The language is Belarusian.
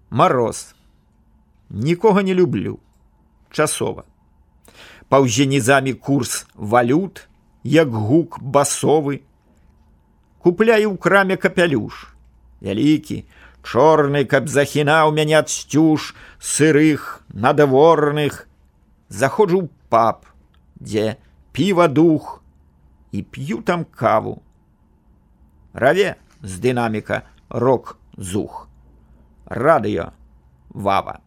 Мароз. Нікога не люблю. Часова. Паўзе нізамі курс валют, як гук басовы. Купляю ў краме капялюш. Вялікі, чорны, каб захінаў мяне ад сцюж сырых, надворных. Заходжу ў паб, дзе піва дух, і п'ю там каву. Раве з дынаміка рок-зух. Радыё Вава.